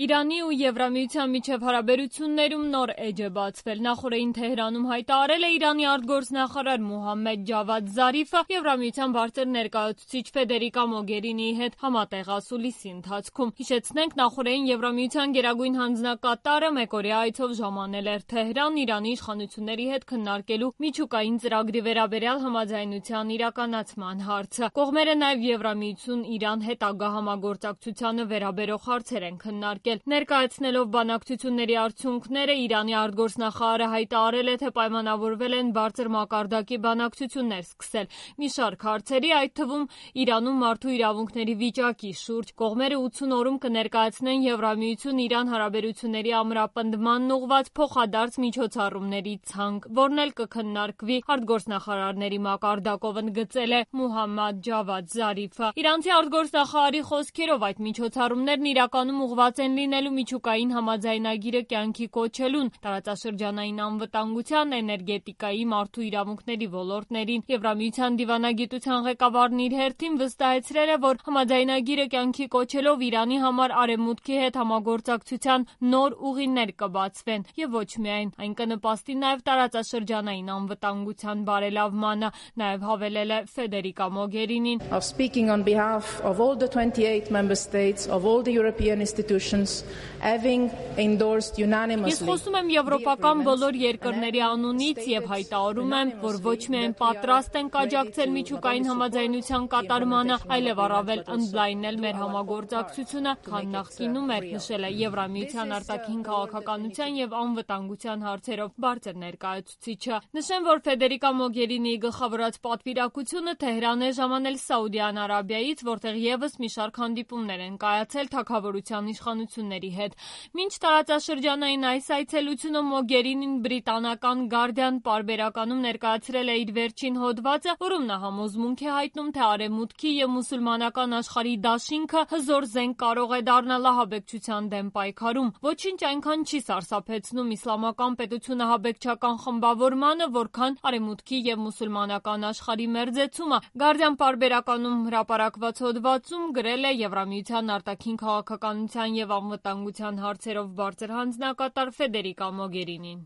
Իրանի ու Եվրամիության միջև հարաբերություններում նոր էջ է բացվել։ Նախորդին Թեհրանում հայտարարել է Իրանի արտգործնախարար Մոհամմեդ Ջավադ Զարիֆը Եվրամիության բարձր ներկայացուցիչ Ֆեդերիկա Մոգերինիի հետ համատեղ ասուլիսի ընթացքում։ Հիշեցնենք, նախորդին Եվրամիության գերագույն հանձնակատարը մեկօրյա այցով ժամանել էր Թեհրան Իրանի իշխանությունների հետ քննարկելու միջուկային ծրագրի վերաբերյալ համաձայնության իրականացման հարցը։ Կողմերը նաև Եվրամիություն-Իրան հետագա համագործակցությանը վերաբերող հարցեր են քննարկել։ Ներկայացնելով բանակցությունների արդյունքները, Իրանի արտգործնախարարը հայտարարել է, թե պայմանավորվել են բարձր մակարդակի բանակցություններ սկսել մի շարք հարցերի, այդ թվում Իրանում մարդու իրավունքների վիճակի շուրջ։ Կողմերը 80 օրում կներկայացնեն Եվրամիություն-Իրան հարաբերությունների ամրապնդմանն ուղղված փոխադարձ միջոցառումների ցանկ, որն էլ կքննարկվի արտգործնախարարների մակարդակով, ընդգծել է Մոհամմադ Ջավադ Զարիֆը։ Իրանցի արտգործնախարարի խոսքերով այդ միջոցառումներն իրականում ուղղված են լինելու միջուկային համաձայնագիրը կյանքի կոչելուն, տարածաշրջանային անվտանգության, էներգետիկայի, մարդու իրավունքների ոլորտներին։ Եվրամիության դիվանագիտության ղեկավարն իր հերթին վստահեցրել է, որ համաձայնագիրը կյանքի կոչելով Իրանի համար արևմուտքի հետ համագործակցության նոր ուղիներ կբացվեն եւ ոչ միայն, այն կնպաստի նաեւ տարածաշրջանային անվտանգության բարելավմանը, նաեւ հավելել է Ֆեդերիկա Մոգերինին. Speaking on behalf of all the 28 member states of all the European institutions having endorsed unanimously. Ես խոսում եմ եվրոպական բոլոր երկրների անունից եւ հայտարարում եմ, որ ոչ միայն պատրաստ ենք աջակցել միջուկային համաձայնության կատարմանը, այլև առավել ընդլայնել մեր համագործակցությունը, քան նախկինում էր, նշել է Եվրամիության արտաքին քաղաքականության եւ անվտանգության հարցերով բարձր ներկայացուցիչը։ Նշեմ, որ Ֆեդերիկա Մոգերինիի գլխավորած պատվիրակությունը Թեհրան է ժամանել Սաուդյան Արաբիայից, որտեղ եւս մի շարք հանդիպումներ են կայացել թագավորության իշխանությունների հետ։ Մինչ տարածաշրջանային այս այցելությունը Մոգերինին բրիտանական Guardian պարբերականում ներկայացրել է իր վերջին հոդվածը, որում նա համոզմունք է հայտնում, թե արևմուտքի եւ մուսուլմանական աշխարհի դաշինքը հզոր զենք կարող է դառնալ ահաբեկչության դեմ պայքարում։ Ոչինչ այնքան չի սարսափեցնում իսլամական պետությունը ահաբեկչական խմբավորմանը, որքան արևմուտքի եւ մուսուլմանական աշխարհի մերձեցումը։ Guardian պարբերականում հրապարակված հոդվածում գրել է Եվրամիության արտաքին քաղաքականության եւ անվտանգության հարցերով բարձր հանձնակատար Ֆեդերիկա Մոգերինին։